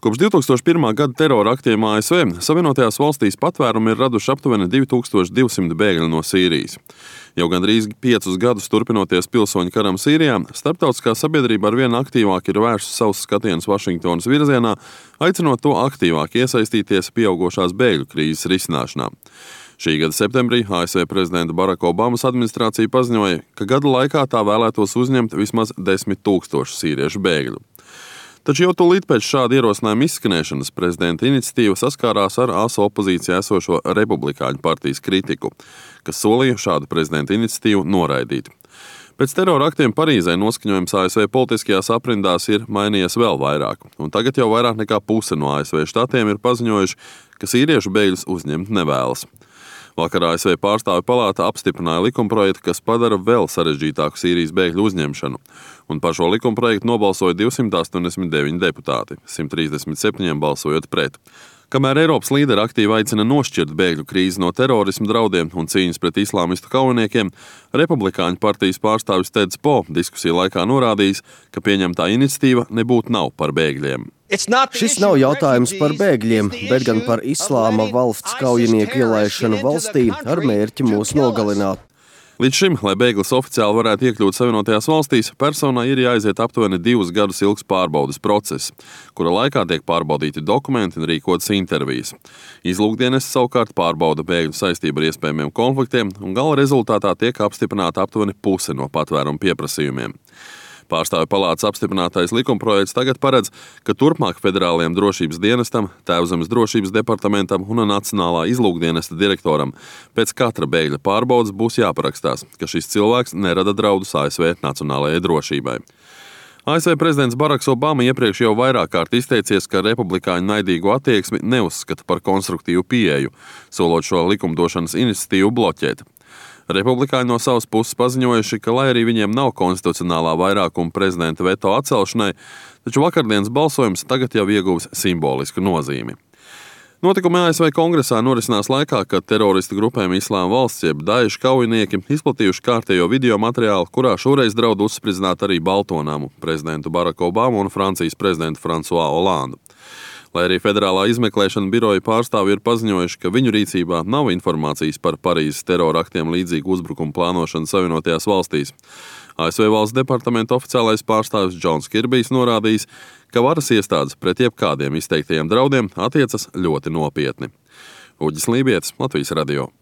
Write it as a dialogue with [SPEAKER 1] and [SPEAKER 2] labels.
[SPEAKER 1] Kopš 2001. gada terora aktiem ASV Savienotajās valstīs patvērumu ir raduši aptuveni 2200 bēgļu no Sīrijas. Jau gandrīz 5 gadus turpinoties pilsoņu karam Sīrijā, starptautiskā sabiedrība arvien aktīvāk ir vērsusi savus skatienus Vašingtonas virzienā, aicinot to aktīvāk iesaistīties pieaugošās bēgļu krīzes risināšanā. Šī gada septembrī ASV prezidenta Baraka Obamas administrācija paziņoja, ka gada laikā tā vēlētos uzņemt vismaz 10 000 sīriešu bēgļu. Taču jau tūlīt pēc šāda ierosinājuma izskanēšanas prezidenta iniciatīva saskārās ar asu opozīcijā esošo Republikāņu partijas kritiku, kas solīja šādu prezidenta iniciatīvu noraidīt. Pēc terora aktiem Parīzē noskaņojums ASV politiskajās aprindās ir mainījies vēl vairāk, un tagad jau vairāk nekā puse no ASV štatiem ir paziņojuši, ka sīriešu bēgļus uzņemt nevēlas. Vakar ASV pārstāvju palāta apstiprināja likumprojektu, kas padara vēl sarežģītāku Sīrijas bēgļu uzņemšanu, un par šo likumprojektu nobalsoja 289 deputāti, 137 balsojot pret. Kamēr Eiropas līderi aktīvi aicina nošķirt bēgļu krīzi no terorisma draudiem un cīņas pret islāmistu kaujiniekiem, Republikāņu partijas pārstāvis Teds Po diskusiju laikā norādījis, ka pieņemtā iniciatīva nebūtu nav par bēgļiem.
[SPEAKER 2] Šis nav jautājums par bēgļiem, bet gan par islāma valsts kaujinieku ielaišanu valstī ar mērķi mūs nogalināt.
[SPEAKER 1] Līdz šim, lai bēglis oficiāli varētu iekļūt Savienotajās valstīs, personai ir jāaiziet aptuveni 2 gadus ilgs pārbaudes process, kura laikā tiek pārbaudīti dokumenti un rīkotas intervijas. Izlūkdienests savukārt pārbauda bēgļu saistību ar iespējamiem konfliktiem, un gala rezultātā tiek apstiprināta aptuveni puse no patvērumu pieprasījumiem. Pārstāvju palātas apstiprinātais likumprojekts tagad paredz, ka turpmāk Federālajiem drošības dienestam, Tēvzemes drošības departamentam un Nacionālā izlūkdienesta direktoram pēc katra bēgļa pārbaudes būs jāparakstās, ka šis cilvēks nerada draudus ASV nacionālajai drošībai. ASV prezidents Baraks Obama iepriekš jau vairāk kārt izteicies, ka republikāņu naidīgo attieksmi neuzskata par konstruktīvu pieeju, solot šo likumdošanas iniciatīvu bloķēt. Republikāņi no savas puses paziņojuši, ka, lai arī viņiem nav konstitucionālā vairākuma prezidenta veto atcelšanai, taču vakardienas balsojums tagad jau ieguvis simbolisku nozīmi. Notikumi ASV kongresā norisinās laikā, kad teroristu grupēm Islāma valsts jeb Daeša kaujinieki izplatījuši kārtējo video materiālu, kurā šoreiz draud uzspridzināt arī Baltonamu, prezidentu Baraku Obamu un Francijas prezidentu Fransuā Olandu. Lai arī Federālā izmeklēšana biroja pārstāvji ir paziņojuši, ka viņu rīcībā nav informācijas par Parīzes terora aktiem līdzīgu uzbrukumu plānošanu Savienotajās valstīs. ASV valsts departamenta oficiālais pārstāvis Džons Kirbijs norādījis, ka varas iestādes pret jebkādiem izteiktajiem draudiem attiecas ļoti nopietni. Uģis Lībietis, Latvijas radio.